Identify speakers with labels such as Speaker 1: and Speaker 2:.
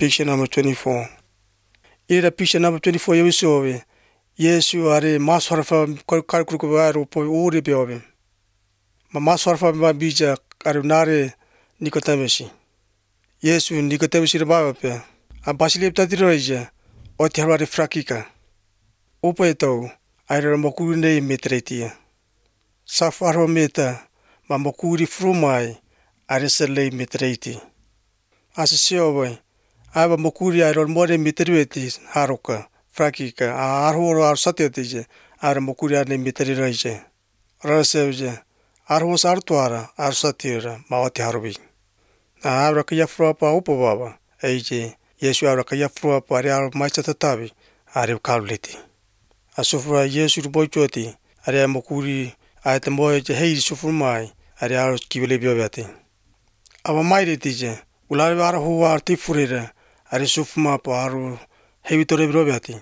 Speaker 1: Picture number 24. Ira picture number 24 yawisove. Yesu are maswarfa kalkuluku aro po uri beove. Ma maswarfa ma bija arunare Nicodemus. Yesu Nicodemus raba pe. A basilip tadiroja. O terware frakika. Opa eto aira mokune metretia. Safaro meta ma mokuri frumai aresele metreti. Asisio aba mokuri airo more mitrueti haruka frakika arhoro ar satetije ar mokuri ane mitri raije rasevje arhos artuara ar satira mawati harubi abra kya frapa upobaba eije Yesu abra kya frapa ari ar maichatatabi ari kaluliti asufra Yesu bochoti ari mokuri ayte moje hei sufurmai ari ar kibele biobati aba mairiti ulare ar huwa artifurira ari sufma paru heavy to rebrobati